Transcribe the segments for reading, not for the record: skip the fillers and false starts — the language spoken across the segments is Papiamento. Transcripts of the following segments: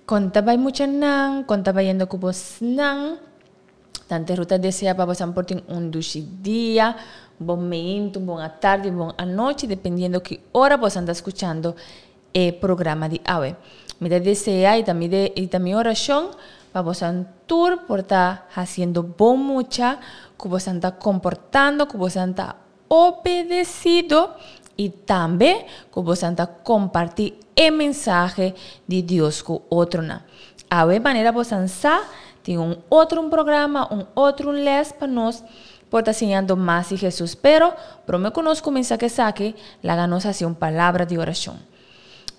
Kon ta bai muchanan? Kon ta bayendo ku bosnan? Tante Ruth ta desea pa bosan por tin un dushi dia, bon meintu, bon atardi, bon anochi, dependiendo ki ora bosan ta skuchando e programa di awe. Mi ta desea i ta mi de i ta mi orashon pa bosan tur por ta hasiendo bon mucha, ku bosan ta komportando, ku bosan ta obedesido i tambe ku bosan ta kompartí e mensahe di Dios ku otronan. Awe manera bosan sa, tin un otro un programa, un otro un les pa nos por ta siñando mas di Hesus. Pero, promé ku nos kuminsá ku esaki, laga nos hasi un palabra di orashon.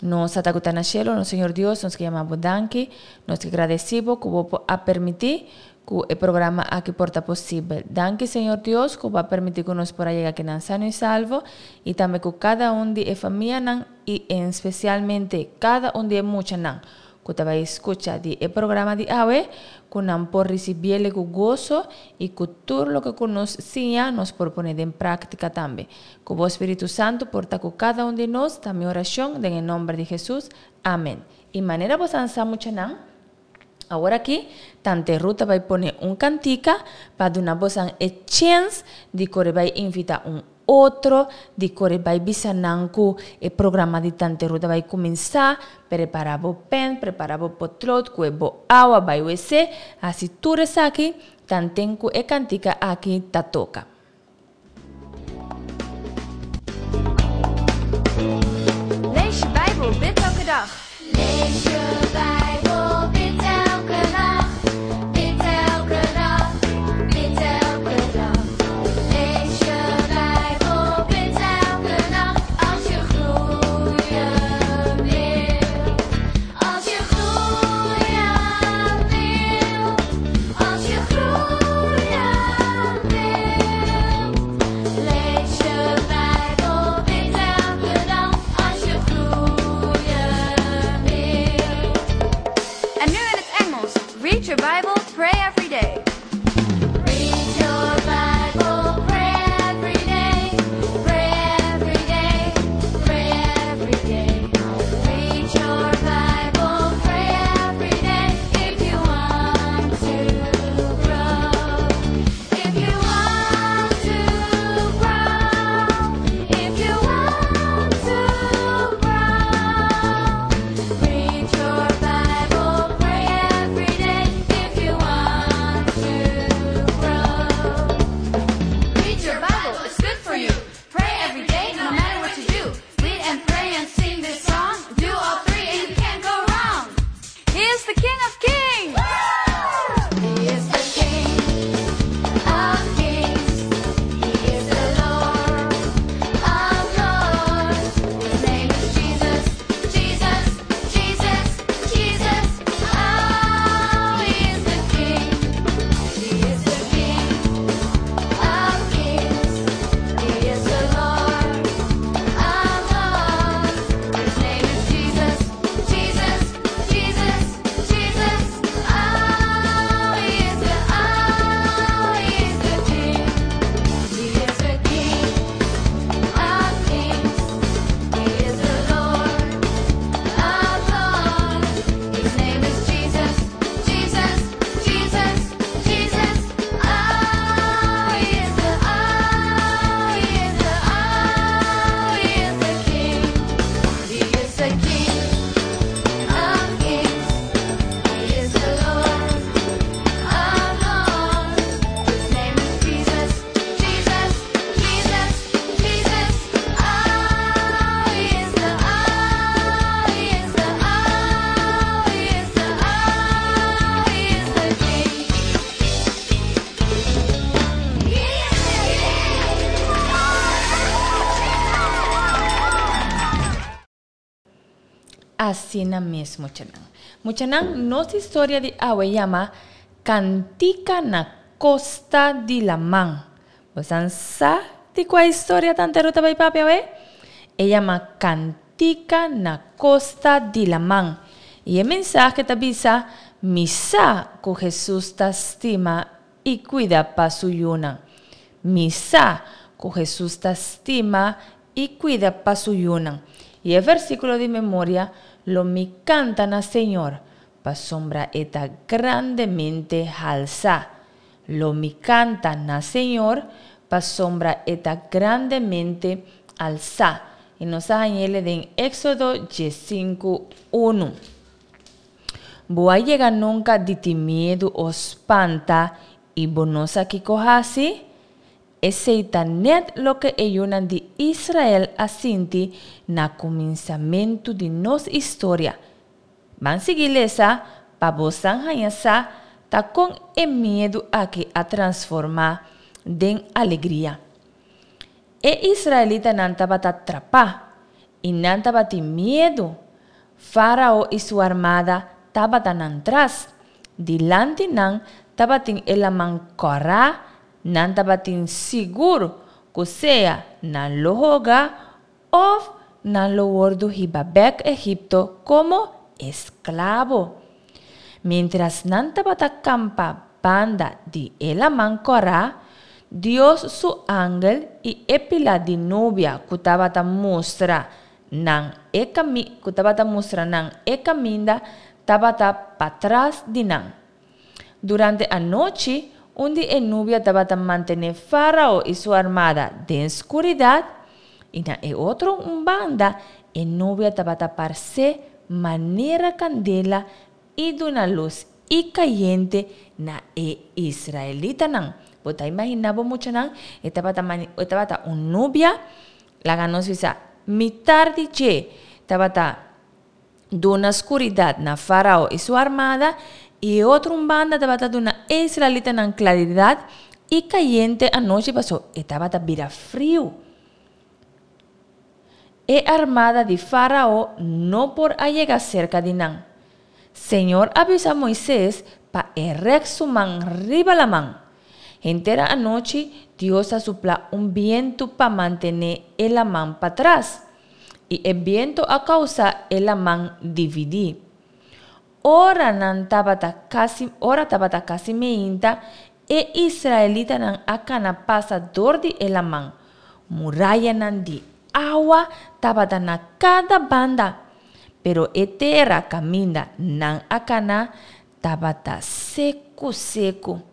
Nos Tata ku ta na shelu, nos Señor Dios, nos ke yama bo danki, nos ke gradesí bo ku bo por a permití ku e programa aki por ta posibel. Danki Señor Dios ku bo a permití ku nos por a yega akinan sano i salvo i tambe ku kada un di e famianan i en spesialmente kada un di e muchanan ku ta bai skucha di e programa di awe ku nan por risibiele ku goso i ku tur loke ku nos siña nos por pone den práktika tambe. Ku bo Spiritu Santu por ta ku kada un di nos ta mi orashon den e nòmber di Hesus. Amen. I manera bo san sa muchanan, awor aki Tante Ruth ta bai pone un kantika pa duna bosan e chèns di kore bai invitá un otro, di kore bai bisa nan ku e programa di Tante Ruth a bai kuminsá. Prepará bo pèn, prepará bo potlood, kue bo awa, bai wc, hasi tur esaki tanten ku e kantika aki ta toka. Lees je Bijbel, bid elke dag. Lees je Bijbel, bid elke nacht. Bid elke dag, bid elke dag. Lees je Bijbel, bid elke nacht. Als je groeien wil. Als je groeien wil. Als je groeien wil. Lees je Bijbel, bid elke dag. Als je groeien wil. En nu in het Engels. Read your Bible, pray every day. Read your Bible, pray every day. Pray every day, pray every day. Read your Bible, pray every day. If you want to grow. If you want to grow. If you want to grow. Read your Bible, pray every day. If you want to grow. Read your Bible, it's good for you. Pray every day, no matter what you do. Read and pray and sing this song. Do all three and you can't go wrong. He is the King of Kings! He is the King of Kings. He is the Lord of Lords. His name is Jesus, Jesus, Jesus, Jesus. Oh, he is the King. He is the King of Kings. He is the Lord of Lords. His name is Jesus, Jesus, Jesus, Jesus. Oh, he is the, oh, he is the King. He is the King of Kings. He is the Lord of Lords. His name is Jesus, Jesus, Jesus, Jesus. Oh, he is the, oh, he is the, oh, he is the King. He is the King of Kings. He is the Lord of Lords. His name is Jesus, Jesus, Jesus, Jesus. Oh, he is the, oh, he is the, oh, he is the, oh, he is the King. He is the King. Asina mes muchanan. Muchanan, nos historia di awe yama Kantika na Kosta di Laman. Bosan sa di kua historia Tante Ruth ta bai papia awe? E yama Kantika na Kosta di Laman. I e mensahe ta bisa, Mi sa ku Hesus ta stima i kuida pa su yunan. Mi sa ku Hesus ta stima i kuida pa su yunan. I e versíkulo di memoria, Lo mi kanta na Señor. pasobra e ta grandemente halsá. Lo mi kanta na Señor, pasobra e ta grandemente alsá. I nos a hañ'ele den Éksodo diesinku, unu. Bo a yega nunka di tin miedu o spanta i bo no sa kiko hasi? Esei ta nèt loke e yunan di Israel a sinti na kuminsamentu di nos historia. Ban sigui lesa pa bosan haña sa ta kon e miedu aki a transformá den alegria. E israelitanan tabata trapá, i nan tabatin miedu. Fárao i su armada tabata nan tras. Dilanti nan tabatin e laman kòrá, nan tabatin sigur ku sea nan lo hoga òf nan lo wòrdu hiba bèk Egipto komo esklabo. Miéntras nan tabata kampa banda di e laman kòrá, Dios su angel i e pilá di nubia ku tabata mustra nan e kami ku tabata mustra nan e kaminda tabata patras di nan. Durante anochi, un di e nubia tabata mantené Fárao i su armada den skuridat, i na e otro un banda e nubia tabata parsé manera kandela i duna lus i kayente na e israelitanan. Bo ta imaginá bo muchanan? E tabata mane e tabata un nubia, laga nos bisa, mitar di dje tabata duna skuridat na Fárao i su armada, i e otro un banda tabata duna e israelitanan klaridat i kayente anochi pasobra e tabata bira friu. E armada di Fárao no por a yega serka di nan. Señor a bisa Moises pa e rèk su man riba laman. Henter anochi Dios a suplá un bientu pa mantené e laman patras. I e bientu a kousa e laman dividí. Ora nan tabata kasi ora tabata kasi meinta, e israelitanan a kana pasa dor di e laman. Murayanan di awa tabata na kada banda, pero e tera kaminda nan a kana tabata seku seku.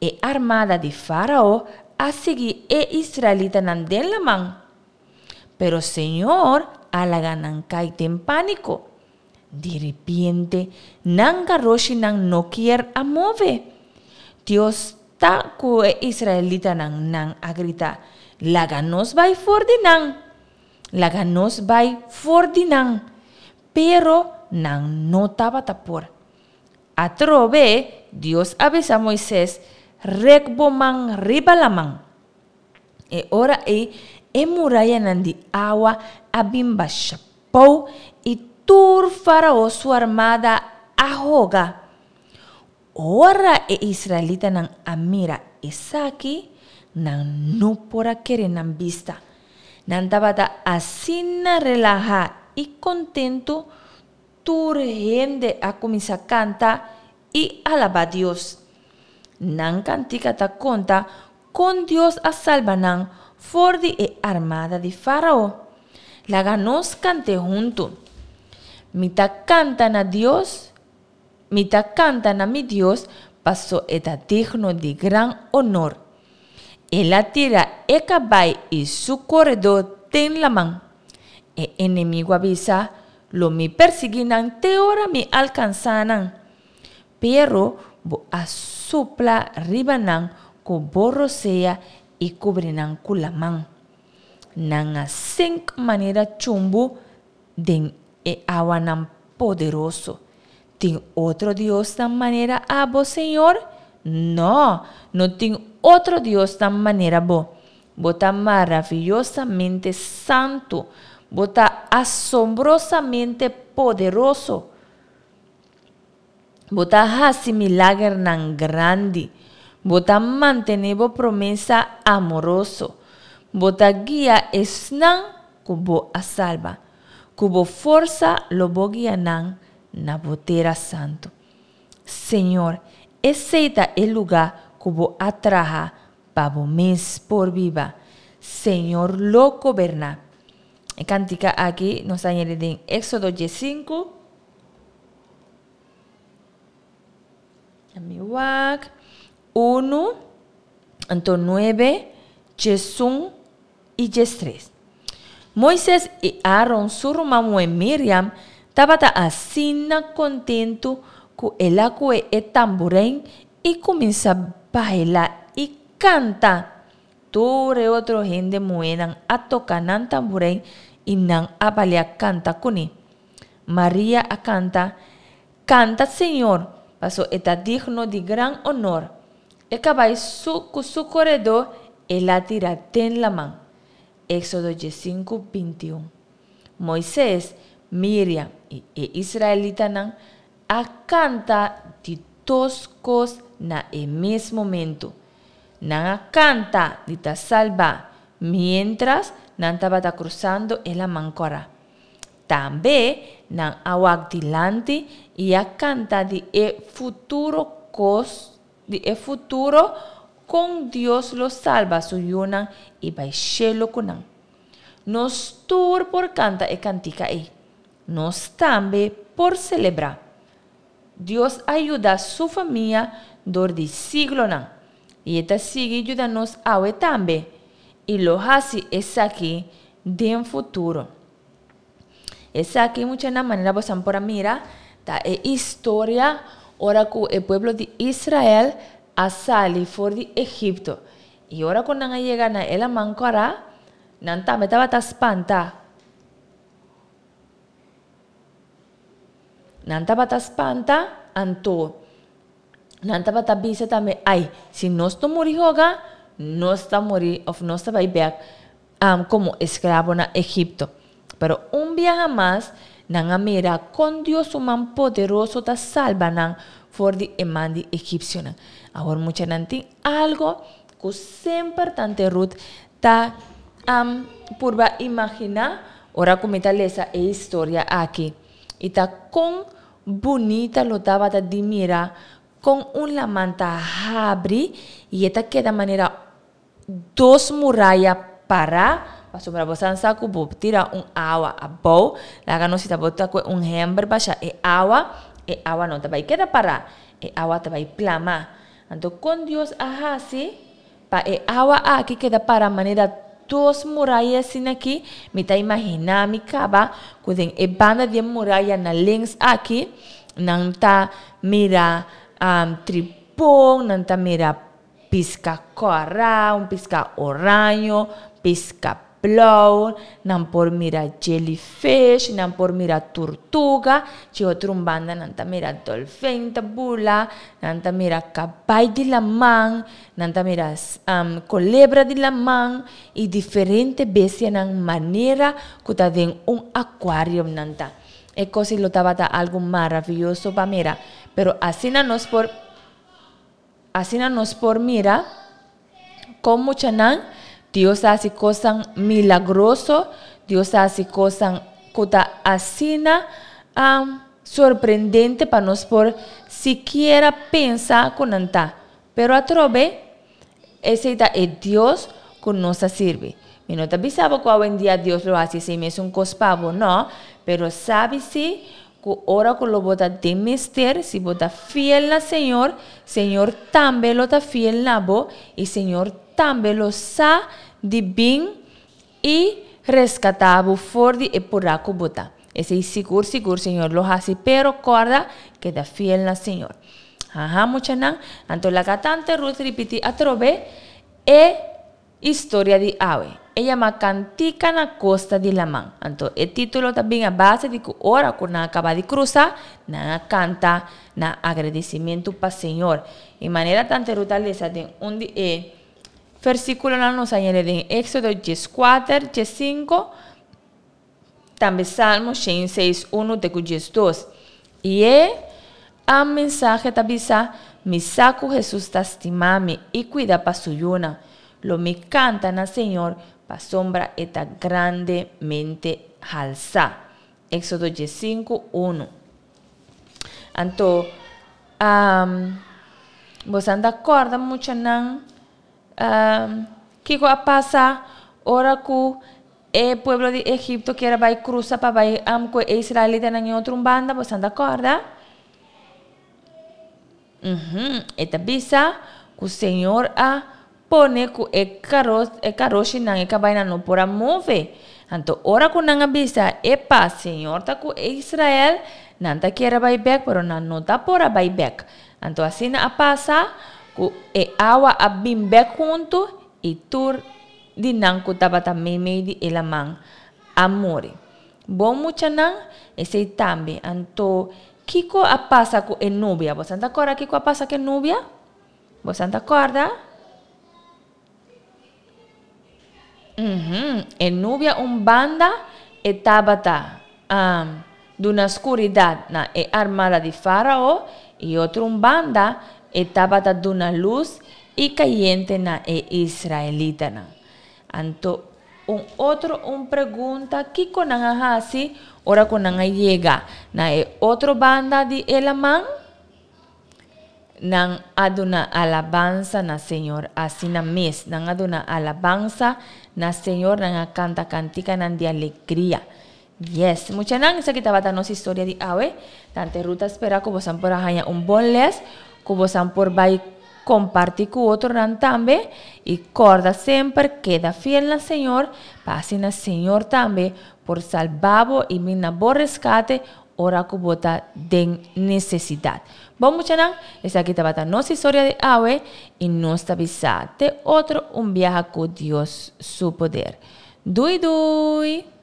E armada di Fárao a sigui e israelitanan den laman. Pero Señor a laga nan kai den pániko. Di ripiente, nan garoshinan no kier a move. Dios ta ku e israelitanan, nan a grita, Laga nos bai for di nan! Laga nos bai for di nan! Pero nan no tabata por. Atrobe, Dios a bisa Moises, Rek bo man riba laman. E ora ei e murayanan di awa a bin basha pou i tur Fárao su armada a hoga. Ora e israelitanan a mira esaki, nan no por a kere nan bista. Nan tabata asina relahá i kontentu, tur hende a kuminsá kanta i alabá Dios. Nan kantika ta konta Kon Dios a salba nan for di e armada di Fárao? Laga nos kant'é huntu. Mi ta kanta na Dios, mi ta kanta na mi Dios, paso e ta digno di gran onor. El a tira e kabai i su koredó den laman. E enemigu a bisa, Lo mi persiguí nan te ora mi alkansá nan. Pero bo a supla riba nan ku bo rosea i kubri nan ku laman. Nan a sink manera chumbu den e awanan poderoso. Tin otro diosnan manera abo, Señor? No, no tin otro diosnan manera bo. Bo ta maraviyosamente santu, bo ta asombrosamente poderoso. Bo ta hasi milagernan grandi. Bo ta mantené bo promesa amoroso. Bo ta guia esnan ku bo a salba. Ku bo forsa lo bo guia nan na bo tera santu. Señor, esei ta e lugá ku bo a traha pa bo mes por biba. Señor lo goberná. E kantika aki nos ta hañ'e den Éksodo diesinku. Mi wak. Unu, anto nuebe, djesun i djestres. Moises i Aaron su ruman muhé Miriam tabata asina kontentu ku el a kue e tamburein i kuminsá baila i kanta. Tur e otro hende muhénan a toka nan tamburein i nan a balia kanta kuné. Maria a kanta, Kanta Señor, paso e ta digno di gran onor. E kabai su ku su koredó el a tira den laman. Éksodo diesinku, bintiun. Moises, Miriam i e israelitanan a kanta di dos kos na e mes momentu. Nan a kanta di ta salbá miéntras nan tabata krusando e Laman Kòrá. Tambe nan a wak dilanti i a kanta di e futuro kos di e futuro kon Dios lo salba su yunan i bai shelu ku nan. Nos tur por kanta e kantika ei. Nos tambe por selebrá. Dios a yuda su famia dor di siglonan, i e ta sigui yuda nos awe tambe, i lo hasi esaki den futuro. Esaki, muchanan, manera bosan por a mira, ta e historia ora ku e pueblo di Israel a sali for di Egipto. I ora ku nan a yega na e Laman Kòrá, nan tambe tabata spanta. Nan tabata spanta, anto nan tabata bisa tambe, Ai, si nos no muri hoga, nos ta muri of nos ta bai bek komo esklabo na Egipto. Pero un biaha mas, nan a mira kon Dios su man poderoso ta salba nan for di e man di egipsionan. Awor muchanan tin algo ku semper Tante Ruth ta purba imaginá ora ku mi ta lesa e historia aki. I ta kon bunita lo tabata di mira kon un laman ta habri i e ta keda manera dos muraya pará, pasobra bo san sa ku bo tira un awa abou, laga nos si ta bo ta kue un hember basha e awa, e awa no ta bai keda pará, e awa ta bai plama. Anto kon Dios a hasi Pa e awa aki keda para manera dos muraya asin'aki, mi ta imaginá mi kaba ku den e banda di e muraya na links aki nan ta mira tripon, nan ta mira piska kòrá, un piska oraño, piska Blou, nan por mira jellyfish, nan por mira turtuga, dje otro un banda nan ta mira dolfijn ta bula, nan ta mira kabai di laman, nan ta mira kolebra di laman i diferente bestianan manera ku ta den un akuarium nan ta. E kos ei lo tabata algu maravioso pa mira, pero asina nos por asina nos por mira. Kon muchanan, Dios ta hasi kosnan milagroso, Dios ta hasi kosnan ku ta asina sorprendente pa nos por sikiera pensa ku nan ta. Pero atrobe, esei ta e Dios ku nos ta sirbi. Mi no ta bisa bo ku awendia Dios lo hasi esei mesun kos pa bo, no, pero sabi si Ku ora ku lo bo ta den mester, si bo ta fiel na Señor, Señor tambe lo ta fiel na bo i Señor tambe lo sa di bin i reskatá bo for di e purá ku bo ta. Esei sigur sigur Señor lo hasi, pero kòrda, keda fiel na Señor. Haha muchanan, anto laga tante Ruth ripití atrobe e Historia di awe. E yama Kantika na Kosta di Laman. Anto e título ta bin a base di ku ora ku nan a kaba di krusa, nan a kanta na agradesimentu pa Señor. I manera Tante Ruth a lesa den un di e versíkulonan nos a yende den Éksodo dieskuater, diesinku, Tambe Salmo shen seis unu te ku diesdos. I e a mensahe ta bisa, Mi sa ku Hesus ta stima mi i kuida pa su yunan. Lo mi kanta na Señor pasobra e ta grandemente halsá. Éksodo diesinku unu. Anto, boso ta kòrda muchanan kiko a pasa ora ku E pueblo di Egipto kier a bai krusa pa bai ku e israelitanan en otro un banda, boso ta kòrda? Uhum, e ta bisa ku Señor a pone ku e karo e karoshinan, e kabainan no por a move. Anto ora ku nan a bisa, Epa, Señor ta ku Israel, nan ta kier a bai bèk, pero nan no ta por a bai bèk. Anto asina a pasa ku e awa a bin bèk huntu i tur di nan ku tabata meimei di e laman a muri. Bon muchanan, esei tambe. Anto, kiko a pasa ku e nubia? Bosan ta kòrda kiko a pasa ku e nubia? Bosan ta kòrda? Uhum, e nubia un banda e tabata duna skuridat na e armada di Fárao i otro un banda e tabata duna lus i kayente na e israelitanan. Anto un otro un pregunta, kiko nan a hasi ora ku nan a yega na e otro banda di e laman? Nan a duna alabansa na Señor asina mes. Nan a duna alabansa na Señor, nan a kanta kantikanan di alegria. Yes, muchanan, esaki tabata nos historia di awe. Tante Ruth ta spera ku bosan por a haña un bon les, ku bosan por bai kompartí ku otronan tambe. I kòrda semper, keda fiel na Señor, pa asina Señor tambe por salba bo i bin na bo reskate ora ku bo ta den nesesidat. Bon muchanan, esaki tabata nos historia di awe i nos ta bisa te otro un biaha ku Dios su poder. Dui dui!